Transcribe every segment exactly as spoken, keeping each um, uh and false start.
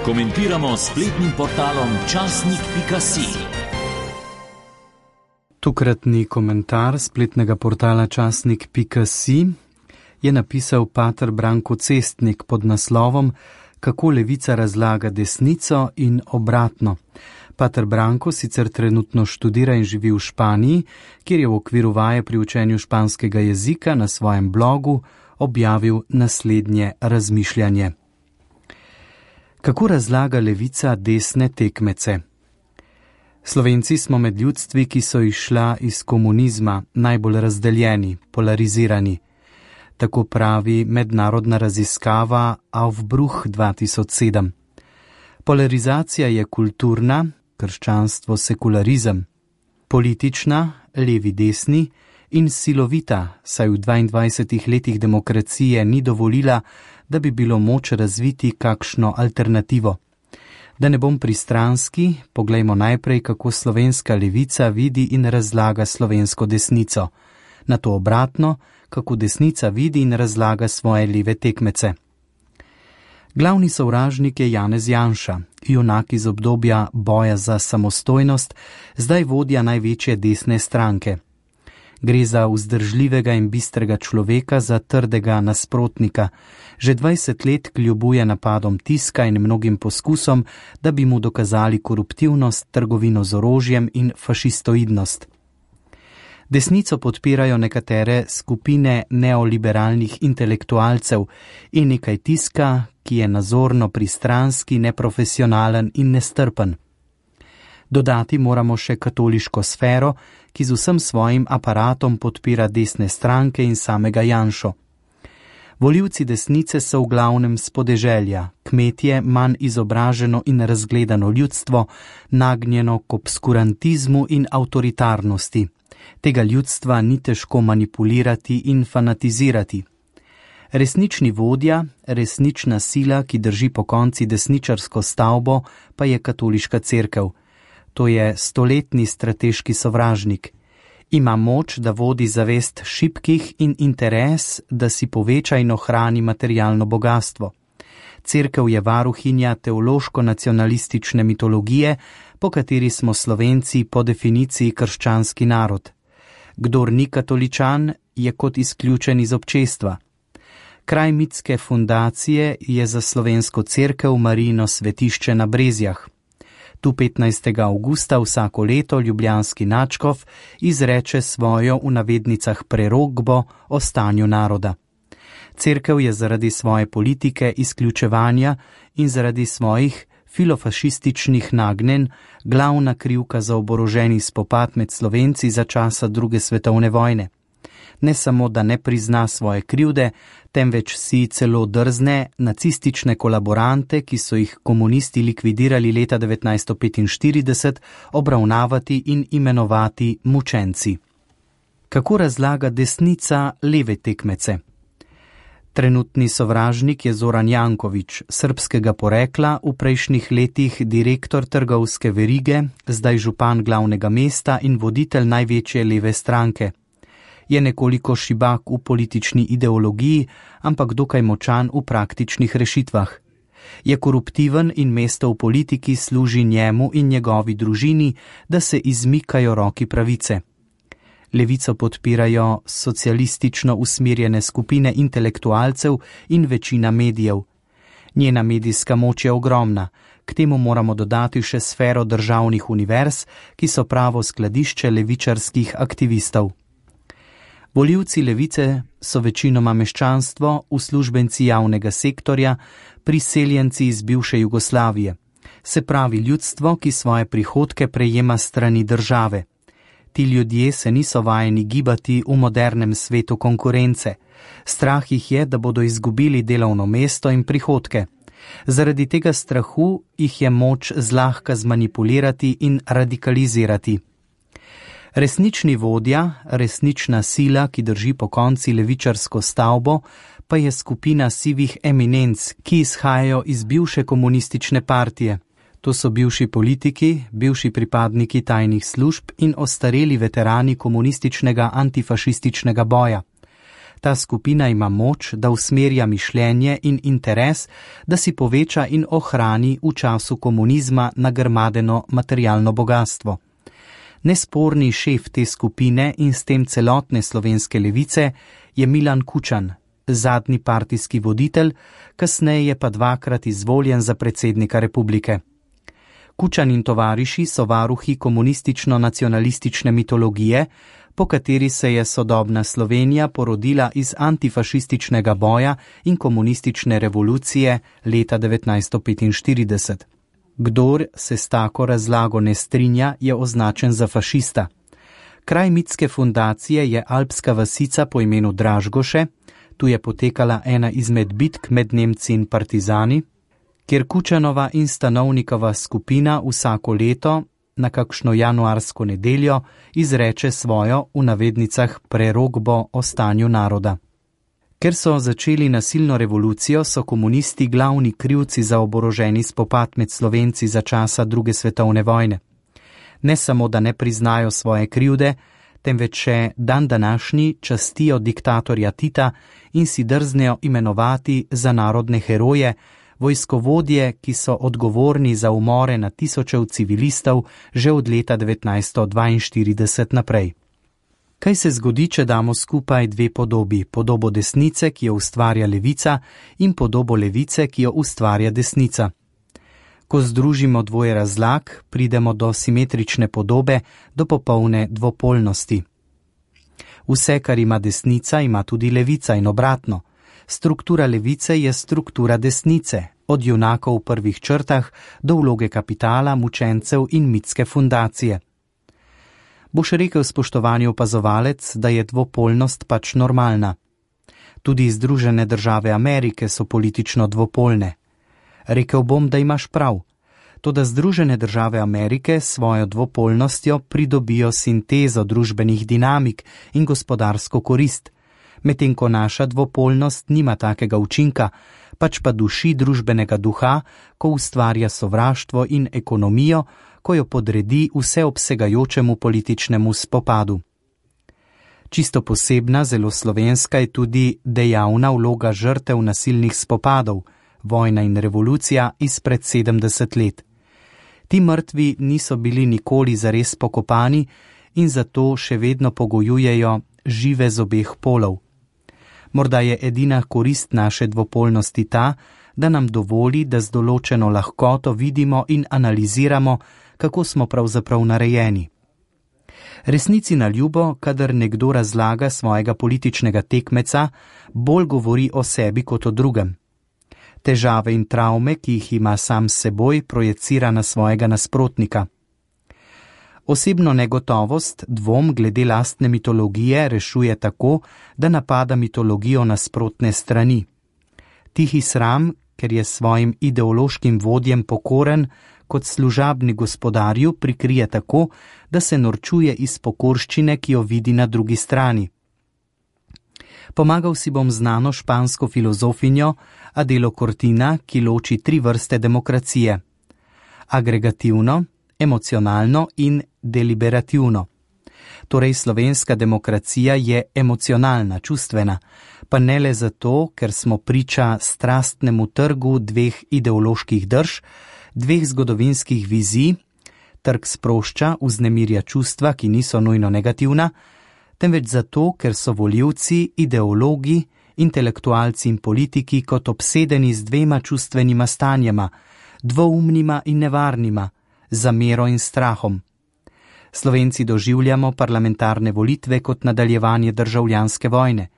Komentiramo s spletnim portalom časnik pika si. Tokratni komentar spletnega portala časnik pika si je napisal pater Branko Cestnik pod naslovom Kako levica razlaga desnico in obratno. Pater Branko sicer trenutno študira in živi v Španiji, kjer je v okviru vaje pri učenju španskega jezika na svojem blogu objavil naslednje razmišljanje. Kako razlaga levica desne tekmece? Slovenci smo med ljudstvi, ki so izšla iz komunizma, najbolj razdeljeni, polarizirani. Tako pravi mednarodna raziskava Aufbruch dva tisoč sedem. Polarizacija je kulturna, krščanstvo sekularizem, politična, levi desni in silovita, saj v dvaindvajsetih letih demokracije ni dovolila, da bi bilo moč razviti kakšno alternativo. Da ne bom pristranski, poglejmo najprej, kako slovenska levica vidi in razlaga slovensko desnico. Nato obratno, kako desnica vidi in razlaga svoje leve tekmece. Glavni sovražnik je Janez Janša, junak iz obdobja boja za samostojnost, zdaj vodja največje desne stranke. Gre za vzdržljivega in bistrega človeka, za trdega nasprotnika. Že dvajset let kljubuje napadom tiska in mnogim poskusom, da bi mu dokazali koruptivnost, trgovino z orožjem in fašistoidnost. Desnico podpirajo nekatere skupine neoliberalnih intelektualcev in nekaj tiska, ki je nazorno pristranski, neprofesionalen in nestrpen. Dodati moramo še katoliško sfero, ki z vsem svojim aparatom podpira desne stranke in samega Janšo. Volivci desnice so v glavnem s podeželja, kmetje, manj izobraženo in razgledano ljudstvo, nagnjeno k obskurantizmu in avtoritarnosti. Tega ljudstva ni težko manipulirati in fanatizirati. Resnični vodja, resnična sila, ki drži pokonci desničarsko stavbo, pa je katoliška cerkev. To je stoletni strateški sovražnik. Ima moč, da vodi zavest šibkih in interes, da si poveča in ohrani materialno bogatstvo. Cerkev je varuhinja teološko-nacionalistične mitologije, po kateri smo Slovenci po definiciji krščanski narod. Kdor ni katoličan, je kot izključen iz občestva. Kraj mitske fundacije je za slovensko cerkev Marijino svetišče na Brezjah. Tu petnajstega avgusta vsako leto ljubljanski nadškof izreče svojo v navednicah prerokbo o stanju naroda. Cerkev je zaradi svoje politike izključevanja in zaradi svojih filofašističnih nagnjenj glavna krivka za oboroženi spopad med Slovenci za časa druge svetovne vojne. Ne samo, da ne prizna svoje krivde, temveč si celo drzne nacistične kolaborante, ki so jih komunisti likvidirali leta devetnajststo petinštirideset, obravnavati in imenovati mučenci. Kako razlaga desnica leve tekmece? Trenutni sovražnik je Zoran Janković, srbskega porekla, v prejšnjih letih direktor trgovske verige, zdaj župan glavnega mesta in voditelj največje leve stranke. Je nekoliko šibak v politični ideologiji, ampak dokaj močan v praktičnih rešitvah. Je koruptiven in mesto v politiki služi njemu in njegovi družini, da se izmikajo roki pravice. Levico podpirajo socialistično usmerjene skupine intelektualcev in večina medijev. Njena medijska moč je ogromna, k temu moramo dodati še sfero državnih univerz, ki so pravo skladišče levičarskih aktivistov. Volivci levice so večinoma meščanstvo, uslužbenci javnega sektorja, priseljenci iz bivše Jugoslavije. Se pravi ljudstvo, ki svoje prihodke prejema strani države. Ti ljudje se niso vajeni gibati v modernem svetu konkurence. Strah jih je, da bodo izgubili delovno mesto in prihodke. Zaradi tega strahu jih je moč zlahka zmanipulirati in radikalizirati. Resnični vodja, resnična sila, ki drži pokonci levičarsko stavbo, pa je skupina sivih eminenc, ki izhajajo iz bivše komunistične partije. To so bivši politiki, bivši pripadniki tajnih služb in ostareli veterani komunističnega antifašističnega boja. Ta skupina ima moč, da usmerja mišljenje in interes, da si poveča in ohrani v času komunizma nagrmadeno materialno bogatstvo. Nesporni šef te skupine in s tem celotne slovenske levice je Milan Kučan, zadnji partijski voditelj, kasneje pa dvakrat izvoljen za predsednika republike. Kučan in tovariši so varuhi komunistično-nacionalistične mitologije, po kateri se je sodobna Slovenija porodila iz antifašističnega boja in komunistične revolucije leta devetnajststo petinštirideset. Kdor se s tako razlago ne strinja, je označen za fašista. Kraj mitske fundacije je alpska vasica po imenu Dražgoše, tu je potekala ena izmed bitk med Nemci in partizani, kjer Kučanova in Stanovnikova skupina vsako leto na kakšno januarsko nedeljo izreče svojo, v navednicah, prerokbo o stanju naroda. Ker so začeli nasilno revolucijo, so komunisti glavni krivci za oboroženi spopad med Slovenci za časa druge svetovne vojne. Ne samo, da ne priznajo svoje krivde, temveč še dan današnji častijo diktatorja Tita in si drznejo imenovati za narodne heroje, vojskovodje, ki so odgovorni za umore na tisočev civilistov že od leta devetnajststo dvainštirideset naprej. Kaj se zgodi, če damo skupaj dve podobi, podobo desnice, ki jo ustvarja levica, in podobo levice, ki jo ustvarja desnica? Ko združimo dvoje razlag, pridemo do simetrične podobe, do popolne dvopolnosti. Vse, kar ima desnica, ima tudi levica in obratno. Struktura levice je struktura desnice, od junakov v prvih črtah do vloge kapitala, mučencev in mitske fundacije. Boš rekel, spoštovani opazovalec, da je dvopolnost pač normalna. Tudi Združene države Amerike so politično dvopolne. Rekel bom, da imaš prav. Toda Združene države Amerike s svojo dvopolnostjo pridobijo sintezo družbenih dinamik in gospodarsko korist, medtem ko naša dvopolnost nima takega učinka, pač pa duši družbenega duha, ko ustvarja sovraštvo in ekonomijo, ko jo podredi vseobsegajočemu političnemu spopadu. Čisto posebna, zelo slovenska je tudi dejavna vloga žrtev nasilnih spopadov, vojna in revolucija izpred sedemdeset let. Ti mrtvi niso bili nikoli zares pokopani in zato še vedno pogojujejo žive z obeh polov. Morda je edina korist naše dvopolnosti ta, da nam dovoli, da z določeno lahkoto vidimo in analiziramo, kako smo pravzaprav narejeni. Resnici na ljubo, kadar nekdo razlaga svojega političnega tekmeca, bolj govori o sebi kot o drugem. Težave in travme, ki jih ima sam s seboj, projecira na svojega nasprotnika. Osebno negotovost, dvom glede lastne mitologije rešuje tako, da napada mitologijo nasprotne strani. Tihi sram, ker je svojim ideološkim vodjem pokoren, kot služabni gospodarju prikrije tako, da se norčuje iz pokorščine, ki jo vidi na drugi strani. Pomagal si bom znano špansko filozofinjo Adelo Cortina, ki loči tri vrste demokracije: agregativno, emocionalno in deliberativno. Torej slovenska demokracija je emocionalna, čustvena, pa ne le zato, ker smo priča strastnemu trgu dveh ideoloških drž, dveh zgodovinskih vizij, trg sprošča, vznemirja čustva, ki niso nujno negativna, temveč zato, ker so volivci, ideologi, intelektualci in politiki kot obsedeni z dvema čustvenima stanjema, dvoumnima in nevarnima, zamero in strahom. Slovenci doživljamo parlamentarne volitve kot nadaljevanje državljanske vojne.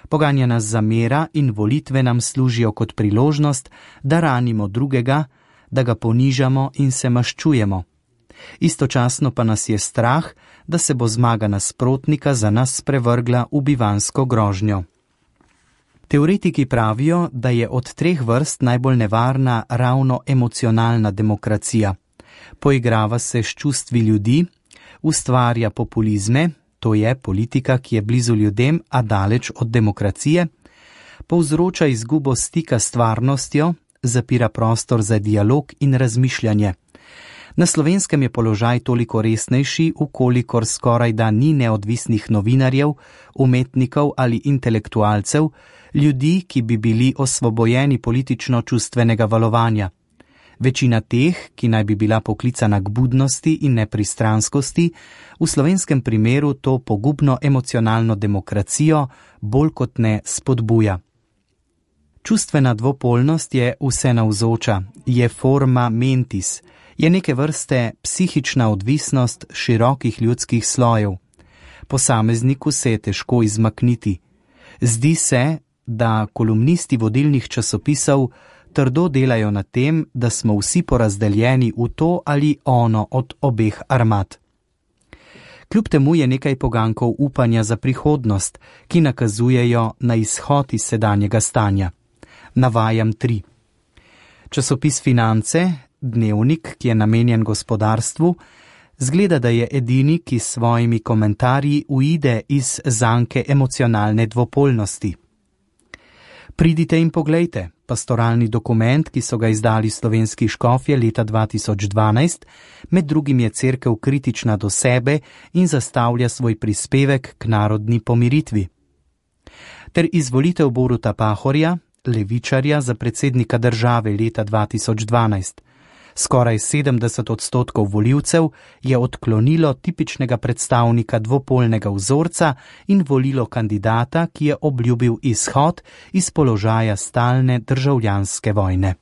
Poganja nas zamera in volitve nam služijo kot priložnost, da ranimo drugega, da ga ponižamo in se maščujemo. Istočasno pa nas je strah, da se bo zmaga nasprotnika za nas sprevrgla v bivansko grožnjo. Teoretiki pravijo, da je od treh vrst najbolj nevarna ravno emocionalna demokracija. Poigrava se s čustvi ljudi, ustvarja populizme, to je politika, ki je blizu ljudem, a daleč od demokracije, povzroča izgubo stika s stvarnostjo, zapira prostor za dialog in razmišljanje. Na Slovenskem je položaj toliko resnejši, ukolikor skoraj da ni neodvisnih novinarjev, umetnikov ali intelektualcev, ljudi, ki bi bili osvobojeni politično-čustvenega valovanja. Večina teh, ki naj bi bila poklicana k budnosti in nepristranskosti, v slovenskem primeru to pogubno emocionalno demokracijo bolj kot ne spodbuja. Čustvena dvopolnost je vsenavzoča, je forma mentis, je neke vrste psihična odvisnost širokih ljudskih slojev. Posamezniku se je težko izmakniti. Zdi se, da kolumnisti vodilnih časopisov trdo delajo na tem, da smo vsi porazdeljeni v to ali ono od obeh armad. Kljub temu je nekaj pogankov upanja za prihodnost, ki nakazujejo na izhod iz sedanjega stanja. Navajam tri. Časopis Finance, dnevnik, ki je namenjen gospodarstvu, zgleda, da je edini, ki s svojimi komentarji uide iz zanke emocionalne dvopolnosti. Pridite in poglejte, pastoralni dokument, ki so ga izdali slovenski škofje leta dva tisoč dvanajst, med drugim je cerkev kritična do sebe in zastavlja svoj prispevek k narodni pomiritvi. Ter izvolitev Boruta Pahorja, levičarja, za predsednika države leta dva tisoč dvanajst. Skoraj sedemdeset odstotkov volivcev je odklonilo tipičnega predstavnika dvopolnega vzorca in volilo kandidata, ki je obljubil izhod iz položaja stalne državljanske vojne.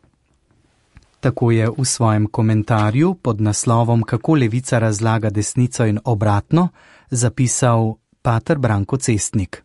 Tako je v svojem komentarju pod naslovom Kako levica razlaga desnico in obratno zapisal pater Branko Cestnik.